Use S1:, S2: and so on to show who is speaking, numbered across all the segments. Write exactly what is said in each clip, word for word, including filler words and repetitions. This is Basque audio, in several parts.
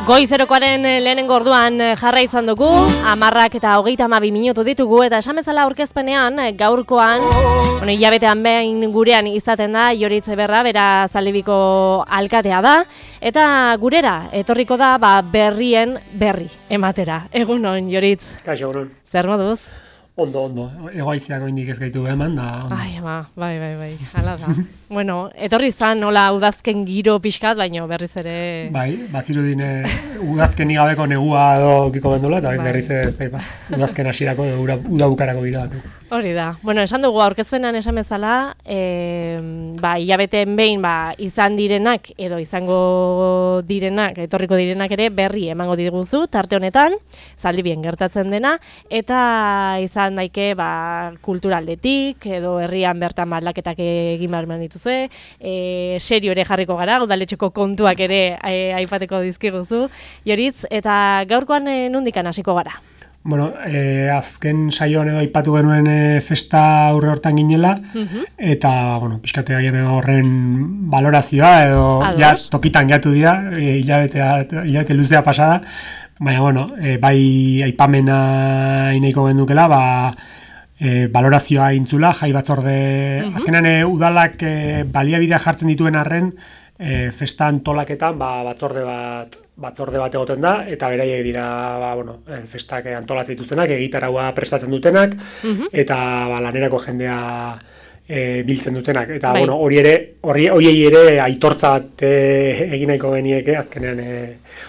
S1: Goizerokoaren lehenengo orduan jarra izan dugu, amarrak eta hogeita hamabi minutu ditugu, eta esan bezala aurkezpenean gaurkoan, bueno, hilabetean behin gurean izaten da, Joritz Eberra, bera Zaldibiko alkatea da, eta gurera etorriko da ba, berrien berri ematera. Egunon, Joritz.
S2: Kaixo, egunon.
S1: Zer moduz?
S2: Ondo, ondo. Egoaiziak oindik ez gaitu eman da. Ondo.
S1: Ai, ama, bai, bai, bai, hala da. Bueno, etorri zan nola udazken giro pixkat, baina berriz ere...
S2: Bai, bazirudin udazken igabeko negua edo kiko bendula, eta bai. berriz ez zaipa. Udazken hasierako uda, uda bukarako gira.
S1: Hori da. Bueno, esan dugu aurkezpenan esan bezala, e, ba, hilabeteen behin ba, izan direnak edo izango direnak, etorriko direnak ere berri emango diguzu tarte honetan, Zaldibien gertatzen dena, eta izan daike ba, kulturaldetik edo herrian bertan aldaketak egin behar dituzue, e, serio ere jarriko gara, udaletxeko kontuak ere e, aipateko dizkiguzu, Joritz, eta gaurkoan e, nondikan hasiko gara?
S2: Bueno, eh, azken saioan edo aipatu genuen eh, festa aurre hortan ginela, uh-huh. eta, bueno, pixkate gaien horren valorazioa, edo ja, tokitan gehiatu dira, eh, hilabete, hilabete luzea pasada, baina, bueno, eh, bai aipamena inaiko gendukela, ba, eh, valorazioa intzula, jai batzorde, uh-huh. azkenan eh, udalak eh, baliabidea jartzen dituen arren, E, festa antolaketan ba, batzorde bat batzorde bat egoten da, eta beraiek dira ba, bueno, festak antolatzen dituztenak, egitaraua prestatzen dutenak, uh-huh. eta ba, lanerako jendea e, biltzen dutenak. Eta bai. bueno, hori ere, hori horiei ere aitortza bat e, egin nahiko genieke, azkenean e,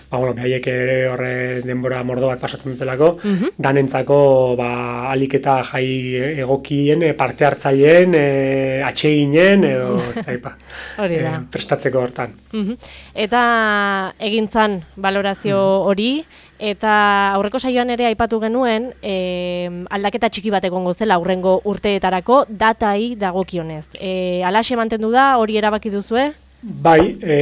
S2: ba, bueno, behaiek ere horre denbora mordo bat pasatzen dutelako, uh-huh. danentzako ba, alik eta jai egokien, parte hartzaileen, e, atseginen, edo ez daipa, e, prestatzeko hortan.
S1: Uh-huh. Eta egintzan valorazio hori, eta aurreko saioan ere aipatu genuen eh, aldaketa txiki bat egongo zela aurrengo urteetarako datai dagokionez. Eh, alaxe mantendu da, hori erabaki duzue?
S2: Bai, e,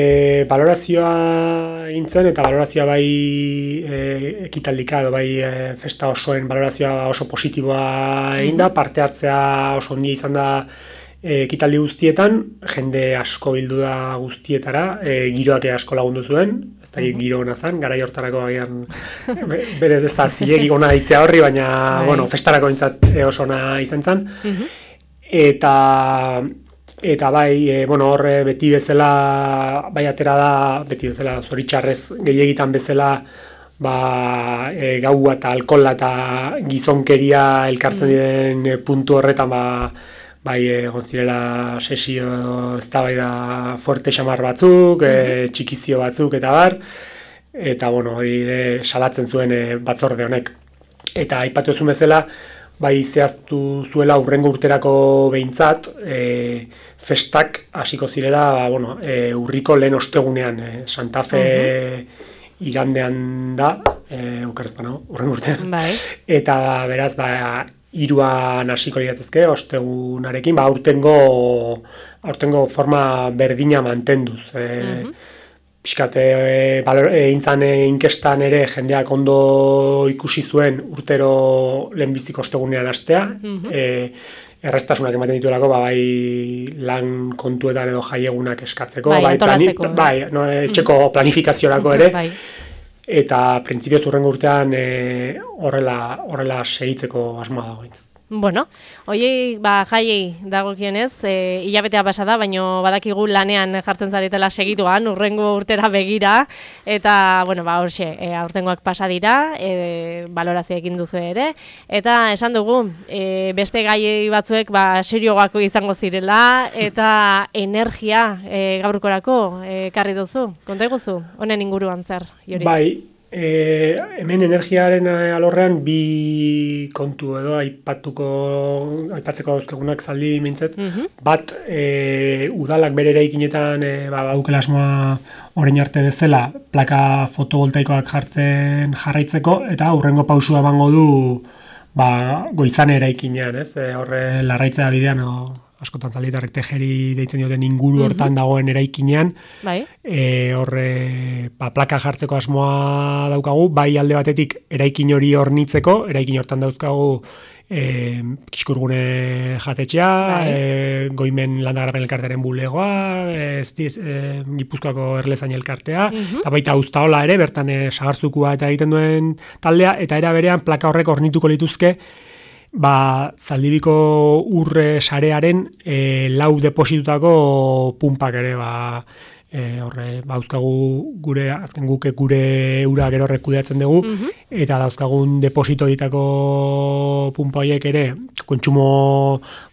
S2: valorazioa intzen eta valorazioa bai e, ekitaldika edo bai e, festa osoen valorazioa oso positiboa egin da, parte hartzea oso ondia izan da ekitaldi guztietan, jende asko bildu da guztietara, e, giroak asko lagundu zuen, ez da giro hona zen, garai hortarako agian berez ez da zilegi gona ditzea horri, baina bueno, festarako entzat oso ona izan zen. Uh-huh. Eta, eta bai, e, bueno, horre beti bezala, bai atera da, beti bezala, zoritxarrez gehiagitan bezala, ba, e, gaua eta alkohola eta gizonkeria elkartzen diren uh-huh. puntu horretan, ba, bai, egon zirela sesio eztabaida fuerte xamar batzuk, mm-hmm. e, txikizio batzuk eta bar, eta bueno, hori salatzen zuen e, batzorde honek. Eta aipatu ezun bezala, bai zehaztu zuela hurrengo urterako behintzat, e, festak hasiko zirela, ba, bueno, e, urriko lehen ostegunean, e, Santa Fe mm-hmm. igandean da, e, ukarrezpa nago, hurrengo urtean. Bai. Eta beraz, ba, hiruan hasiko liratezke, ostegunarekin, ba, aurtengo, aurtengo forma berdina mantenduz. E, uh-huh. Piskate, e, intzan inkestan ere jendeak ondo ikusi zuen urtero lehenbiziko ostegunean hastea, uh-huh. e, errestasunak ematen dituelako, ba, bai lan kontuetan edo jaiegunak eskatzeko,
S1: bai,
S2: bai, plani, bai no, etxeko uh-huh. planifikaziorako ere, bai. Eta printzipioz hurrengo urtean e, horrela, horrela segitzeko asmoa dago.
S1: Bueno, oiei, ba, jaiei dagokionez, e, hilabetea pasa da, baina badakigu lanean jartzen zaretela segituan, hurrengo urtera begira, eta, bueno, ba, horxe, e, aurtengoak pasa dira, e, valorazio egin duzu ere, eta esan dugu, e, beste gaiei batzuek, ba, serioak izango zirela, eta energia e, gaurkorako e, karri duzu, konta eguzu, honen inguruan zer, Joritz?
S2: Bai. E, hemen energiaren alorrean bi kontu edo aipatuko aipatzeko dauzkagunak Zaldi mintzet. Uh-huh. Bat, e, udalak bere eraikinetan e, ba, baukela asmoa orain arte bezala plaka fotovoltaikoak jartzen jarraitzeko, eta hurrengo pausua emango du ba, Goizane eraikinean, ez? E, horre larraitzea bidean o, askotan Zalditarrek Tejeri deitzen dioten inguru hortan uh-huh. dagoen eraikinean, bai. E, horre ba, plaka jartzeko asmoa daukagu, bai alde batetik eraikin hori hornitzeko, eraikin hortan dauzkagu E, Kiskurgune jatetxea, e, Goimen Landagarapen elkartearen bulegoa, ez diz, e, Gipuzkoako Erlezain elkartea, mm-hmm. eta baita Uztaola ere, bertan e, sagarzukua eta egiten duen taldea, eta era berean plaka horrek hornituko lituzke, ba, Zaldibiko urre sarearen e, lau depositutako pumpak ere, ba, E, horre, ba, dauzkagu gure, azken guke gure ura gero rekudeatzen dugu, mm-hmm. eta dauzkagun deposito ditako pumpa horiek ere, kontsumo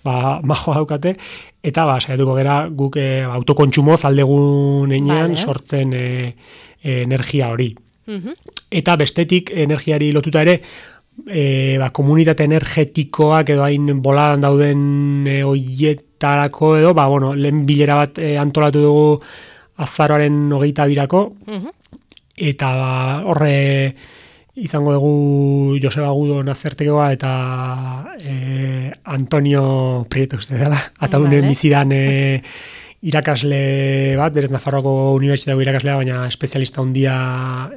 S2: ba, majoa daukate, eta ba, saiatuko gera guk e, autokontsumo zaldegun enean vale. sortzen e, e, energia hori. Mm-hmm. Eta bestetik energiari lotuta ere, e, ba, komunitate energetikoak edo hain boladan dauden e, oietarako edo, ba, bueno, lehen bilera bat e, antolatu dugu azaroaren hogeita birako, uh-huh. eta horre izango dugu Joseba Agudo nazertekoa eta e, Antonio Prieto uste dela, atadunen vale. bizidan e, irakasle bat, berez Nafarroako unibertsitateko irakaslea, baina espezialista handia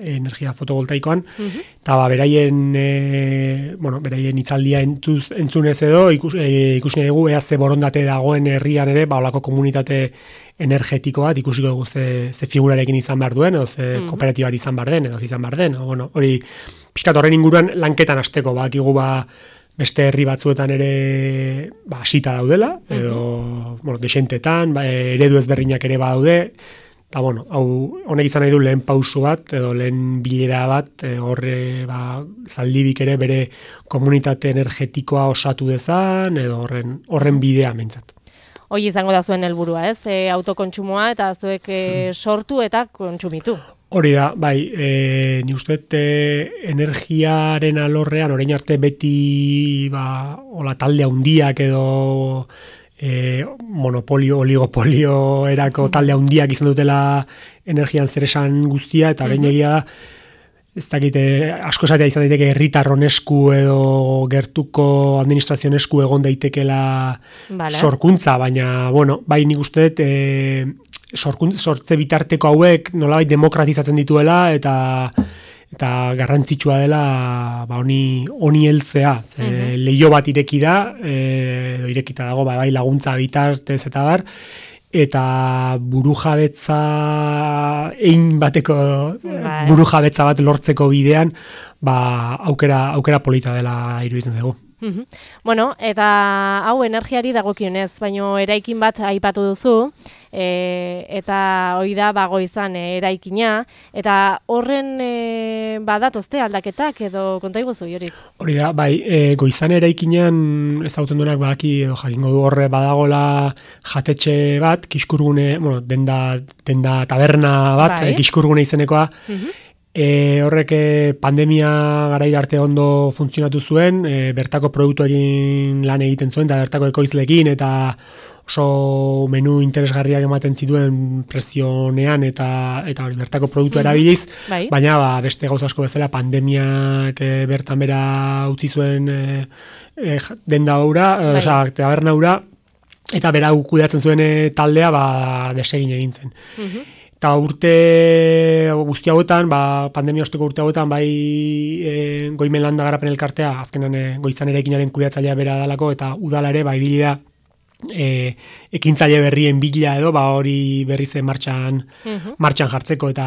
S2: energia fotovoltaikoan, uh-huh. eta ba, beraien, e, bueno, beraien hitzaldia entuz, entzunez edo, ikus, e, ikusi dugu, ea ze borondate dagoen herrian ere, ba, olako komunitate energetiko bat, ikusiko dugu ze, ze figurarekin izan behar duen, edo ze uh-huh. kooperatiba bat izan behar den, edo izan behar den, o, bueno, hori, pixkat horren inguruan lanketan hasteko, ba, igu ba, beste herri batzuetan ere ba, hasita daudela, edo uh-huh. bueno, desentetan, ba, eredu ezberdinak ere badaude, eta bueno, hau honek izan nahi du lehen pausu bat, edo lehen bilera bat, e, horre ba, Zaldibik ere bere komunitate energetikoa osatu dezan, edo horren, horren bidea mentzat.
S1: Hoi izango da zuen helburua, ez? E, autokontsumoa eta zuek e, sortu eta kontsumitu.
S2: Hori da, bai, e, ni uste e, energiaren alorrean, orain arte beti ba, ola talde handiak edo e, monopolio, oligopolio erako talde handiak izan dutela energian zeresan guztia, eta orain egia da, ez dakite, asko esatea izan daiteke herritarron esku edo gertuko administrazioen esku egon daitekela vale. sorkuntza, baina, bueno, bai nik uste dut, e, sorkuntza, sortze bitarteko hauek nolabait demokratizatzen dituela, eta eta garrantzitsua dela ba honi honi heltzea. Ze uh-huh. Leio bat ireki da, e, edo irekita dago, ba, bai laguntza bitartez eta bar, eta burujabetza ein bateko bai. burujabetza bat lortzeko bidean, ba aukera aukera polita dela iruditzen zaigu.
S1: Uh-huh. Bueno, eta hau energiari dagokionez, baino eraikin bat aipatu duzu, e, eta hoi da bago izan e, eraikina, eta horren e, badatozte aldaketak edo konta iguzu, Jorit?
S2: Hori da, bai, e, goizan eraikinean ezagutzen duenak badaki edo jakingo du horre badagola jatetxe bat, Kiskurgune, bueno, denda, denda taberna bat, bai. e, Kiskurgune izenekoa, uh-huh. E, horrek pandemia garaira arte ondo funtzionatu zuen, e, bertako produktuekin lan egiten zuen, eta bertako ekoizlekin, eta oso menu interesgarriak ematen zituen prezionean, eta eta hori bertako produktu mm-hmm. erabiliz, bai. Baina ba, beste gauza asko bezala pandemiak e, bertan bera utzi zuen e, e, denda hura, bai. Osa, taberna hura, eta bera kudeatzen zuen e, taldea ba, desegin egin zen. Mm-hmm. Eta urte guzti hauetan, ba, pandemia osteko urte hauetan, bai e, Goimen Landagarapen elkartea, azkenan e, goizan eraikinaren kudeatzailea bera dalako, eta udala ere, bai bilida, e, ekintzaile berrien bila edo, ba hori berriz martxan, uh-huh. martxan jartzeko, eta,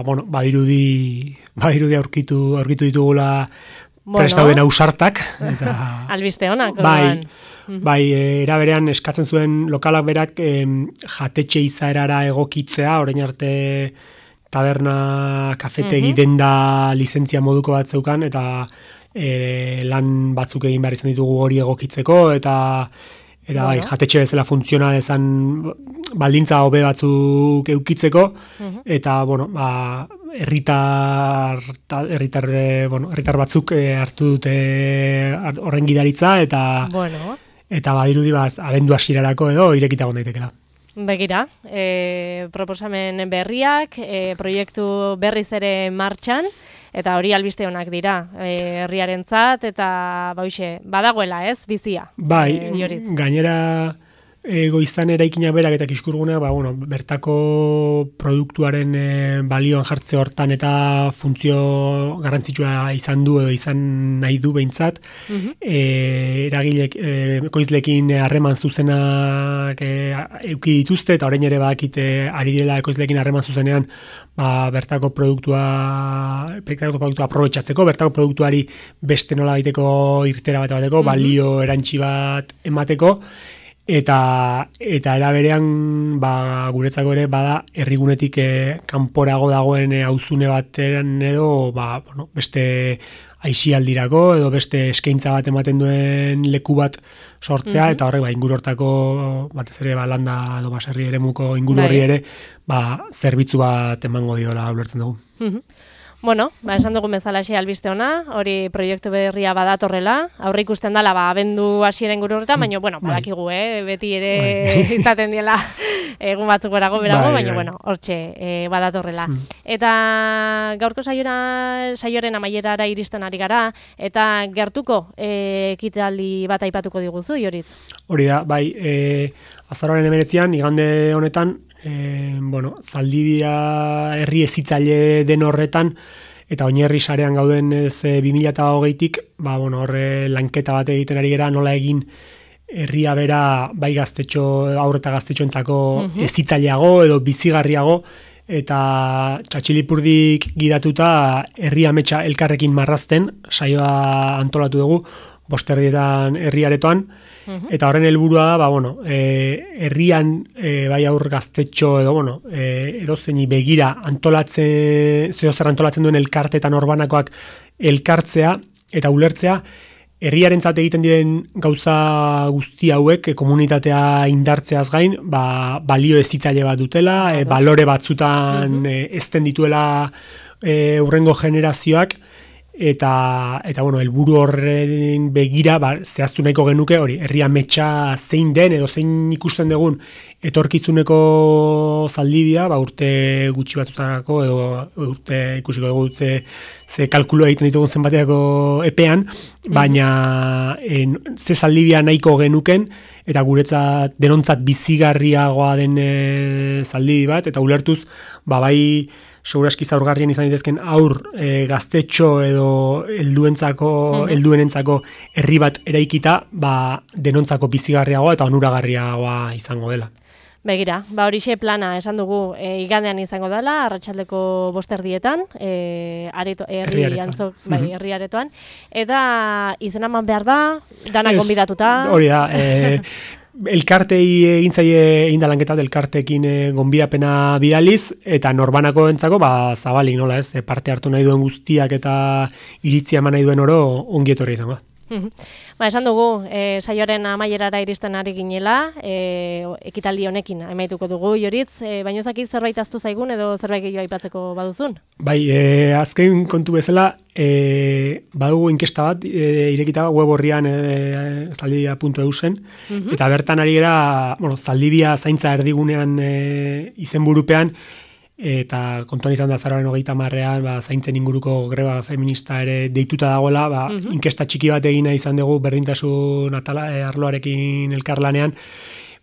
S2: bueno, badirudi, badirudi aurkitu, aurkitu ditugula bueno. prestauden ausartak. Eta,
S1: albiste honak.
S2: Bai, bai, era berean eskatzen zuen lokalak berak eh, jatetxe izaerara egokitzea, orain arte taberna, kafetegi, uh-huh. denda lizentzia moduko bat zeukan, eta eh, lan batzuk egin behar izan ditugu hori egokitzeko, eta eta bai, jatetxe bezala funtziona dezan baldintza hobe batzuk eukitzeko, uh-huh. eta, bueno, ba, herritar herritar bueno, herritar batzuk hartu dute horren gidaritza, eta
S1: bueno.
S2: eta badirudi baz, abendu hasierarako edo irekita egon daitekela.
S1: Begira, e, proposamen berriak, e, proiektu berriz ere martxan, eta hori albiste honak dira, e, herriarentzat eta bauxe, badagoela ez, bizia.
S2: Bai,
S1: e,
S2: gainera e, goizan eraikinak berak eta Kiskurguneak, ba, bueno, bertako produktuaren e, balioan jartze hortan eta funtzio garrantzitsua izan du edo izan nahi du behintzat, uh-huh. e, eragilek e, ekoizlekin harreman zuzenak e, euki dituzte, eta orain ere badakite ari direla ekoizlekin harreman zuzenean ba, bertako produktua bertako produktua aprobetxatzeko, bertako produktuari beste nola egiteko irtera bat bateko, uh-huh. balio erantsi bat emateko, eta eta era berean ba, guretzako ere bada herrigunetik e, kanporago dagoen e, auzune batean edo ba, bueno, beste aisialdirako edo beste eskaintza bat ematen duen leku bat sortzea, uh-huh. eta horrek ba, inguru hortako batez ere ba, landa edo baserri eremuko inguru horri ere ba, zerbitzu bat emango diola ulertzen dugu.
S1: Uh-huh. Bueno, ba, esan dugu bezalaxe albiste ona, hori proiektu berria badatorrela, aurre ikusten dela, ba, abendu hasieren guru horretan, baina, bueno, badakigu, eh, beti ere izaten diela egun batzuk berago, berago, baina, bueno, hortxe eh, badatorrela. Hmm. Eta gaurko saiora, saioren amaierara iristen ari gara, eta gertuko eh, ekitaldi bat aipatuko diguzu, Joritz?
S2: Hori da, bai, eh, azaroaren hemeretzian, igande honetan, E, bueno, Zaldibia herri ezitzaile den horretan eta oinarri sarean gauden ez bi mila hogeitik, ba, bueno, horre lanketa bat egiten ari gera, nola egin herria bera bai gaztetxo, aurre eta gaztetxoentzako uh-huh. ezitzaileago edo bizigarriago, eta Txatxilipurdik gidatuta herri ametsa elkarrekin marrazten, saioa antolatu dugu, bosterdietan herriaretoan, eta horren helburua da, ba, bueno, e, herrian e, bai aur gaztetxo edo, bueno, e, edozeini begira antolatzen, zeo zer antolatzen duen elkartetan orbanakoak elkartzea eta ulertzea, herriarentzat egiten diren gauza guzti hauek, e, komunitatea indartzeaz gain, ba, balio ezitzaile bat dutela, e, balore batzutan uh-huh. e, ezten dituela e, urrengo generazioak, eta eta bueno, helburu horren begira ba, zehaztu nahiko genuke hori herria ametsa zein den edo zein ikusten dugun etorkizuneko Zaldibia, ba, urte gutxi batzutarako edo urte ikusiko dugu ze, ze kalkulo egiten ditugun zenbaterako epean, baina en, ze Zaldibia nahiko genuken eta guretzat denontzat bizigarriagoa den e, Zaldibi bat, eta ulertuz ba, bai segurazki zaurgarrien izan ditezken aur e, gaztetxo edo helduentzako mm-hmm. helduenentzako herri bat eraikita, ba, denontzako bizigarriagoa eta onuragarriagoa izango dela.
S1: Begira, ba horixe plana esan dugu e, igandean izango dela, arratsaldeko bosterdietan, e, areto, herri antzok, bai, mm-hmm. herri aretoan, eta izena eman behar da, danak gonbidatuta.
S2: Hori da, e, elkartei egin zaie egin da lanketa elkarteekin e, gonbidapena bidaliz, eta norbanako entzako ba, zabalik nola ez, e, parte hartu nahi duen guztiak eta iritzia eman nahi duen oro ongi etorri izango.
S1: Ba, esan dugu, e, saioaren amaierara iristen ari ginela, e, ekitaldi honekin amaituko dugu, Joritz, e, baina ezakit zerbait aztu zaigun edo zerbait gehiago aipatzeko baduzun?
S2: Bai, e, azken kontu bezala, e, badugu inkesta bat, e, irekita web horrian e, zaldibia puntu e u zen, uh-huh. eta bertan ari gera, bueno, Zaldibia zaintza erdigunean e, izenburupean, eta kontuan izan da azaroaren hogeita marrean, ba, zaintzen inguruko greba feminista ere deituta dagoela, ba, uh-huh. inkesta txiki bat egina izan dugu berdintasun atala, e, arloarekin elkarlanean,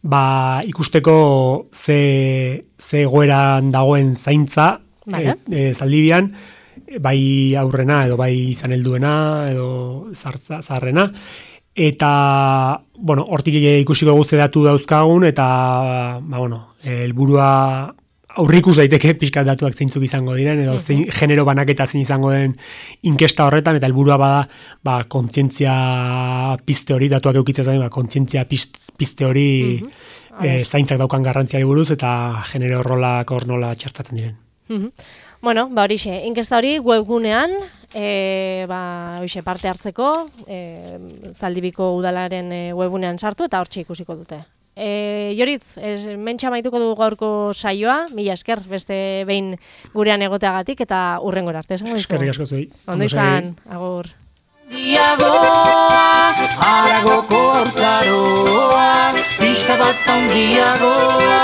S2: ba, ikusteko ze, ze egoeran dagoen zaintza vale. e, e, Zaldibian, bai aurrena edo bai izan helduena edo zartza, zaharrena, eta, bueno, hortik ikusiko guze datu dauzkagun, eta, ba, bueno, helburua aurrikus daiteke pixkat datuak zeintzuk izango diren, edo zein genero banaketa zein izango den inkesta horretan, eta helburua bada ba, kontzientzia pizte hori, datuak eukitzez gain, ba, kontzientzia pizte hori uh-huh. e, zaintzak daukan garrantziari buruz, eta genero rolak hor nola txertatzen diren.
S1: Uh-huh. Bueno, ba horixe, inkesta hori webgunean, e, ba, horixe parte hartzeko, e, Zaldibiko udalaren webgunean sartu, eta hortxe ikusiko dute. E, Joritz, e, mentxa maituko dugu gaurko saioa, mila esker, beste behin gurean egoteagatik, eta hurrengora arte.
S2: Eskerrik asko zuei.
S1: Ondo izan, agur.
S3: Diagoa, haragoko hortzaroa, pixka bat ongiagoa.